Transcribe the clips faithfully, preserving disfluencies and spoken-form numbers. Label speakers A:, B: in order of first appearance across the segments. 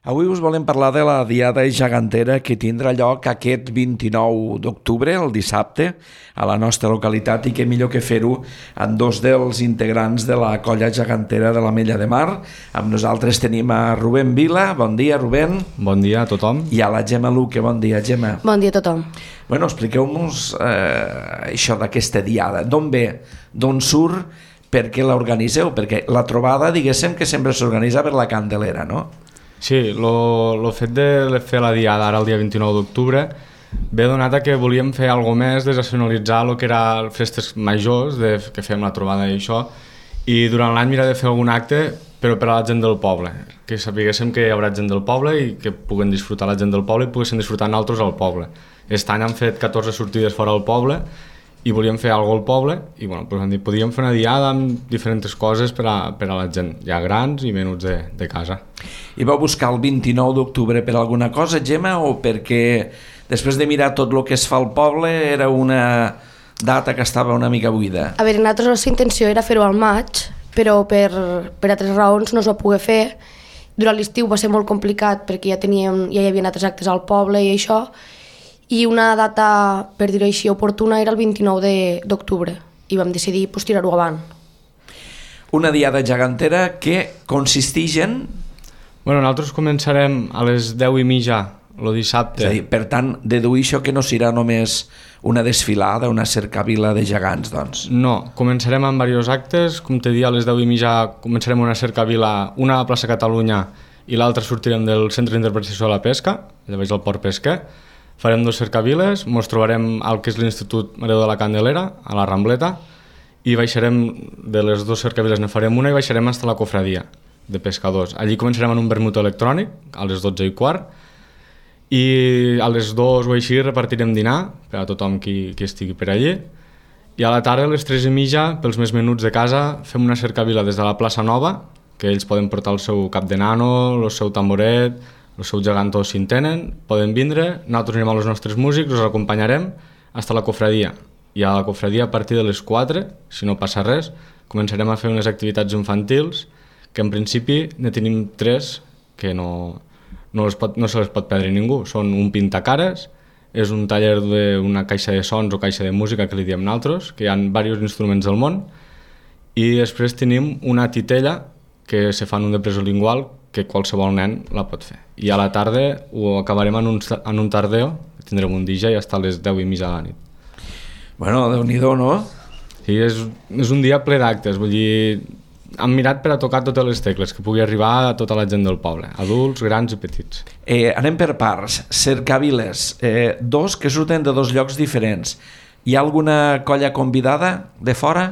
A: Avui us volem parlar de la Diada Gegantera que tindrà lloc aquest vint-i-nou d'octubre, el dissabte, a la nostra localitat, i que millor que fer-ho amb dos dels integrants de la colla gegantera de l'Ametlla de Mar. Amb nosaltres tenim a Rubén Vila. Bon dia, Rubén.
B: Bon dia a tothom.
A: I a la Gemma Luque. Bon dia, Gemma.
C: Bon dia a tothom.
A: Bueno, expliqueu-nos eh, això d'aquesta Diada. D'on ve? D'on surt? Per què l'organitzeu? Perquè la trobada, diguéssim, que sempre s'organitza per la Candelera, no?
B: Sí, el fet de fer la Diada ara el dia vint-i-nou d'octubre ve donat a que volíem fer alguna més, desnacionalitzar el que era festes majors, de, que fem la trobada i això, i durant l'any mirar de fer algun acte, però per a la gent del poble, que sapiguéssim que hi haurà gent del poble i que puguen disfrutar la gent del poble i poguessin disfrutar nosaltres al poble. Aquest any han fet catorze sortides fora del poble i volíem fer alguna cosa al poble i bueno, doncs hem dit, podíem fer una diada amb diferents coses per a, per a la gent, ja grans i menuts de, de casa.
A: I vau buscar el vint-i-nou d'octubre per alguna cosa, Gemma, o perquè després de mirar tot el que es fa al poble era una data que estava una mica buida?
C: A veure, nosaltres la nostra intenció era fer-ho al maig, però per, per altres raons no es va poder fer. Durant l'estiu va ser molt complicat perquè ja, teníem, ja hi havia altres actes al poble i això, i una data, per dir-ho així, oportuna era el vint-i-nou d'octubre i vam decidir pues, tirar-ho avant.
A: Una diada gegantera que consisteix en...
B: Bueno, nosaltres començarem a les deu i mitja el dissabte.
A: És a dir, per tant, deduir això que no serà només una desfilada, una cercavila de gegants, doncs.
B: No, començarem amb diversos actes, com t'he dit, a les deu i mitja començarem una cercavila, una a la plaça Catalunya i l'altra sortirem del Centre d'Interpretació de la Pesca, allà baix al Port Pesquer. Farem dos cercaviles, ens trobarem al que és l'Institut Mareu de la Candelera, a la Rambleta, i baixarem, de les dues cercaviles ne farem una i baixarem fins a la cofradia de pescadors. Allí començarem en un vermut electrònic, a les dotze i quart, i a les dues o així repartirem dinar per a tothom qui, qui estigui per allí, i a la tarda, a les tres i mitja, pels més menuts de casa, fem una cercavila des de la plaça Nova, que ells poden portar el seu cap de nano, el seu tamboret, el seu gegantó si en tenen, poden vindre, nosaltres anirem amb els nostres músics, els acompanyarem fins a la cofradia. I a la cofradia a partir de les quatre, si no passa res, començarem a fer unes activitats infantils, que en principi ne tenim tres que no, no, les pot, no se les pot perdre ningú. Són un pintacares, és un taller d'una caixa de sons o caixa de música que li diem nosaltres, que hi ha diversos instruments del món, i després tenim una titella que se fa en un depressor lingual que qualsevol nen la pot fer. I a la tarda ho acabarem en un, en un tardeo, tindrem un D J hasta les deu i mitja de la nit.
A: Bueno, Déu-n'hi-do, no?
B: Sí, és, és un dia ple d'actes, vull dir, hem mirat per a tocar totes les tecles, que pugui arribar a tota la gent del poble, adults, grans i petits.
A: Eh, anem per parts. Cercaviles, eh, dos que surten de dos llocs diferents. Hi ha alguna colla convidada de fora?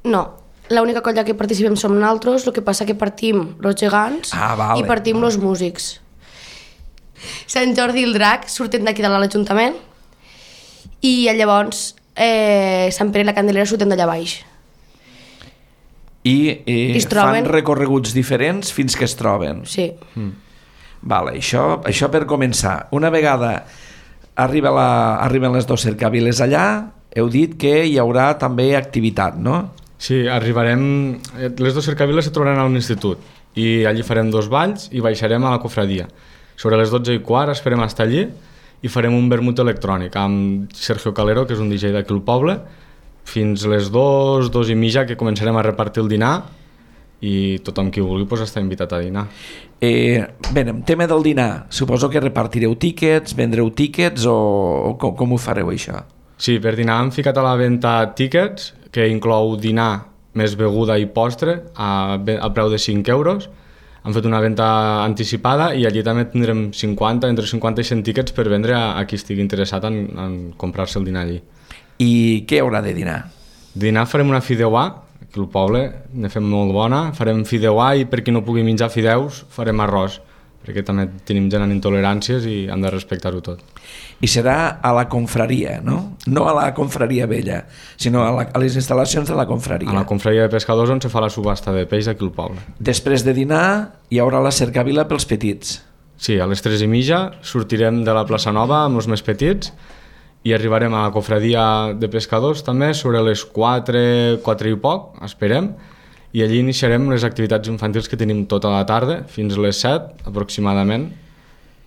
C: No. L'única colla que participem som nosaltres, el que passa que partim els gegants
A: ah, vale.
C: i partim els músics. Sant Jordi i el Drac surten d'aquí de l'Ajuntament i llavors eh, Sant Pere i la Candelera surten d'allà baix.
A: I, i fan recorreguts diferents fins que es troben.
C: Sí.
A: Mm. Vale, això, això per començar. Una vegada arriba la, arriben les dues cercaviles allà, heu dit que hi haurà també activitat, no?
B: Sí, arribarem... Les dues cercaviles se trobaran a l'institut i allí farem dos balls i baixarem a la cofradia. Sobre les dotze i quart esperem estar allí i farem un vermut electrònic amb Sergio Calero, que és un D J d'aquí al poble, fins les dues, dues i mitja, que començarem a repartir el dinar i tothom qui vulgui pues, està invitat a dinar.
A: Eh, bé, en tema del dinar, suposo que repartireu tíquets, vendreu tíquets o, o com, com ho fareu això?
B: Sí, per dinar hem ficat a la venda tíquets, que inclou dinar més beguda i postre a, a preu de cinc euros. Han fet una venda anticipada i allí també tindrem cinquanta, entre cinquanta i cent tíquets per vendre a, a qui estigui interessat en, en comprar-se el dinar allí.
A: I què haurà de dinar?
B: Dinar farem una fideuà, aquí al poble ne fem molt bona, farem fideuà i per qui no pugui menjar fideus farem arròs, perquè també tenim gent amb intoleràncies i hem de respectar-ho tot.
A: I serà a la confraria, no? No a la confraria vella, sinó a, la, a les instal·lacions de la confraria.
B: A la confraria de pescadors on se fa la subhasta de peix aquí al poble.
A: Després de dinar hi haurà la cercavila pels petits.
B: Sí, a les tres i mitja sortirem de la plaça Nova amb els més petits i arribarem a la confradia de pescadors també sobre les quatre, quatre i poc, esperem, i allí iniciarem les activitats infantils que tenim tota la tarda, fins a les set aproximadament,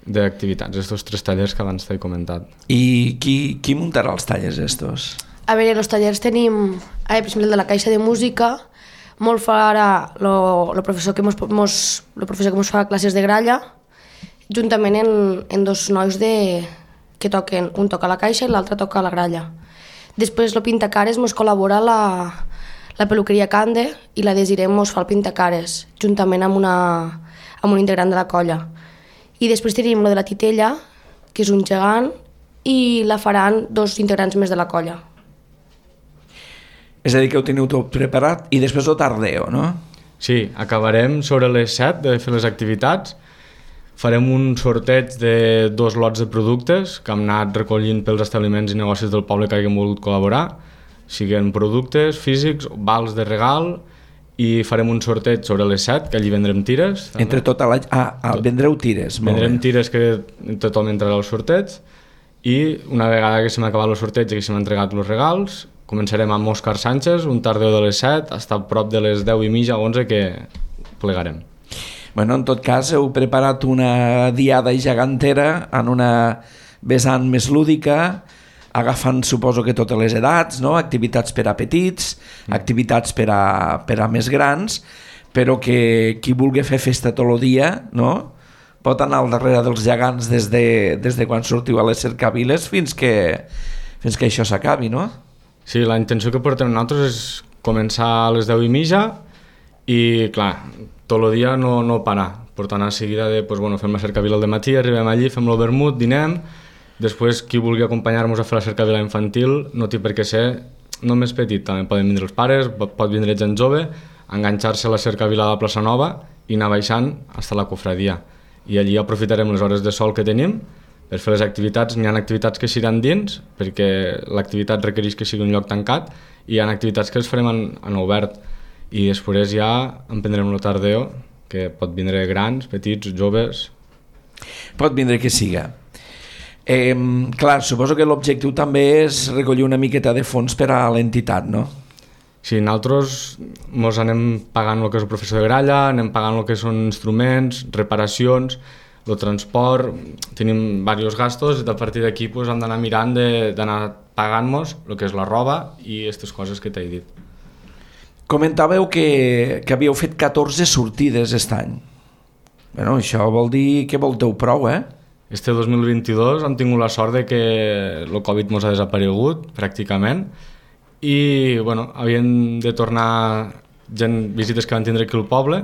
B: d'activitats, estos tres tallers que abans t'he comentat.
A: I qui, qui muntarà els tallers estos?
C: A veure, els tallers tenim, eh, per exemple, el de la caixa de música, molt farà el professor que mos, mos, lo professor que mos fa classes de gralla, juntament en, en dos nois de, que toquen, un toca la caixa i l'altre toca la gralla. Després el pintacares mos col·labora la, la peluqueria Cande i la Desirem mos fa el pintacares, juntament amb, una, amb un integrant de la colla. I després tenim lo de la titella, que és un gegant, i la faran dos integrants més de la colla.
A: És a dir, que ho teniu tot preparat i després ho tardeu, no?
B: Sí, acabarem sobre les set de fer les activitats. Farem un sorteig de dos lots de productes que hem anat recollint pels establiments i negocis del poble que hagin volgut col·laborar, siguin productes físics, vals de regal, i farem un sorteig sobre les set, que allí vendrem tires. També.
A: Entre tota la... Ah, ah vendreu tires.
B: Vendrem tires que tothom entrarà al sorteig, i una vegada que s'hem acabat el sorteig i que s'hem entregat els regals, començarem amb Òscar Sánchez, un tardeu de les set, fins a prop de les deu i mitja, onze, que plegarem.
A: Bueno, en tot cas, heu preparat una diada gegantera en una vessant més lúdica, agafant, suposo que totes les edats, no? Activitats per a petits, mm. activitats per a, per a més grans, però que qui vulgui fer festa tot el dia, no? Pot anar al darrere dels gegants des de, des de quan sortiu a les cercaviles fins que, fins que això s'acabi, no?
B: Sí, la intenció que portem nosaltres és començar a les deu i mitja i, clar, tot el dia no, no parar. Per tant, a seguida de, pues, bueno, fem la cercavila al dematí, arribem allí, fem el vermut, dinem. Després, qui vulgui acompanyar-nos a fer la cercavila infantil no té per què ser només petit, també poden vindre els pares, pot vindre gent jove, enganxar-se a la cercavila de la plaça Nova i anar baixant fins a la cofradia. I allí aprofitarem les hores de sol que tenim per fer les activitats. N'hi ha activitats que seran dins, perquè l'activitat requereix que sigui un lloc tancat, i hi ha activitats que les farem en, en obert. I després ja emprendrem el tardeo, que pot vindre grans, petits, joves...
A: Pot vindre que siga. Eh, clar, suposo que l'objectiu també és recollir una miqueta de fons per a l'entitat, no?
B: Sí, nosaltres ens anem pagant el que és el professor de gralla, anem pagant el que són instruments, reparacions, el transport, tenim diversos gastos, i a partir d'aquí pues, hem d'anar mirant d'anar pagant-nos el que és la roba i aquestes coses que t'he dit.
A: Comentàveu que, que havíeu fet catorze sortides aquest any. Bueno, això vol dir que volteu prou, eh?
B: Este dos mil vint-i-dos hem tingut la sort de que el Covid ens ha desaparegut, pràcticament, i bueno, havien de tornar gent, visites que van tindre aquí al poble,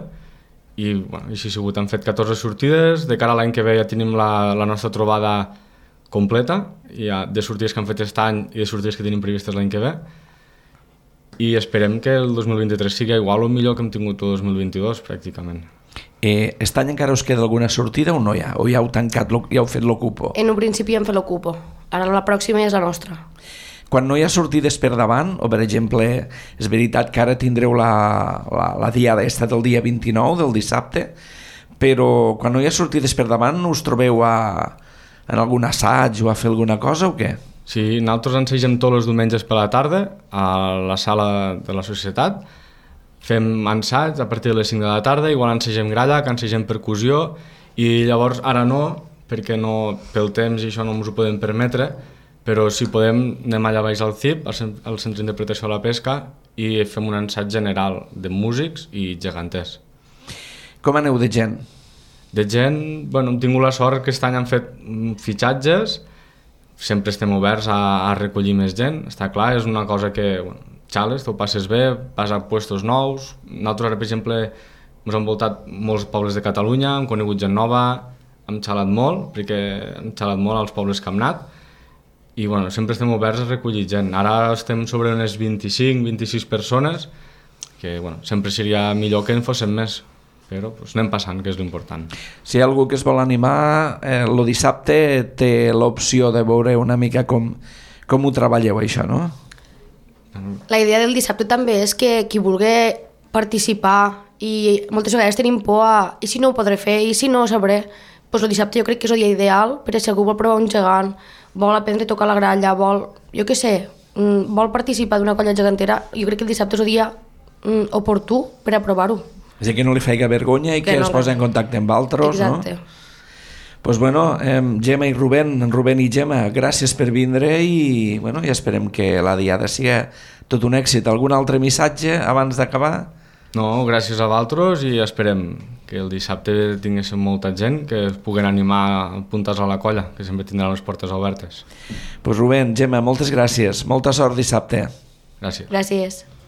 B: i bueno, així ha sigut. Hem fet catorze sortides, de cara a l'any que ve ja tenim la, la nostra trobada completa, ja de sortides que hem fet aquest any i de sortides que tenim previstes l'any que ve, i esperem que el dos mil vint-i-tres sigui igual o millor que hem tingut el dos mil vint-i-dos, pràcticament.
A: Eh, aquest any encara us queda alguna sortida o no hi ha? O ja heu tancat, ja heu fet l'ocupo?
C: En un principi hem fet l'ocupo, ara la pròxima és la nostra.
A: Quan no hi ha sortides per davant, o per exemple, és veritat que ara tindreu la, la, la diada aquesta del dia vint-i-nou, del dissabte, però quan no hi ha sortides per davant us trobeu a, en algun assaig o a fer alguna cosa o què?
B: Sí, nosaltres ensegem tots els diumenges per la tarda a la sala de la societat. Fem ensaig a partir de les cinc de la tarda, igual ensegem gralla, que ensegem percussió, i llavors ara no, perquè no, pel temps i això no ens ho podem permetre, però si podem anem allà baix al C I P, al Centre d'Interpretació de la Pesca, i fem un ensaig general de músics i geganters.
A: Com aneu de gent?
B: De gent, bueno, hem tingut la sort que aquest any han fet fitxatges, sempre estem oberts a, a recollir més gent, està clar, és una cosa que... Bueno, xales, t'ho passes bé, vas a puestos nous. Nosaltres ara, per exemple, ens han voltat molts pobles de Catalunya, hem conegut gent nova, hem xalat molt, perquè hem xalat molt als pobles que hem anat, i bueno, sempre estem oberts a recollir gent. Ara estem sobre unes vint-i-cinc vint-i-sis persones, que bueno, sempre seria millor que en fossin més, però pues, anem passant, que és l'important.
A: Si hi ha algú que es vol animar, eh, el dissabte té l'opció de veure una mica com, com ho treballeu, això, no?
C: La idea del dissabte també és que qui vulgui participar, i moltes vegades tenim por a i si no ho podré fer, i si no ho sabré, doncs el dissabte jo crec que és el dia ideal, perquè si algú vol provar un gegant, vol aprendre a tocar la gralla, vol, jo què sé, vol participar d'una colla gegantera, jo crec que el dissabte és el dia mm, oportú per a provar-ho.
A: És a dir, que no li feiga vergonya i que,
C: Que no,
A: es posi en contacte amb altres, no?
C: Exacte.
A: Pues bueno, eh, Gemma i Rubén, Rubén i Gemma, gràcies per vindre i, bueno, i esperem que la diada sigui tot un èxit. Algun altre missatge abans d'acabar?
B: No, gràcies a vosaltres i esperem que el dissabte tinguéssim molta gent que es puguen animar a apuntar-se a la colla, que sempre tindran les portes obertes.
A: Pues Rubén, Gemma, moltes gràcies. Molta sort dissabte.
B: Gràcies.
C: Gràcies.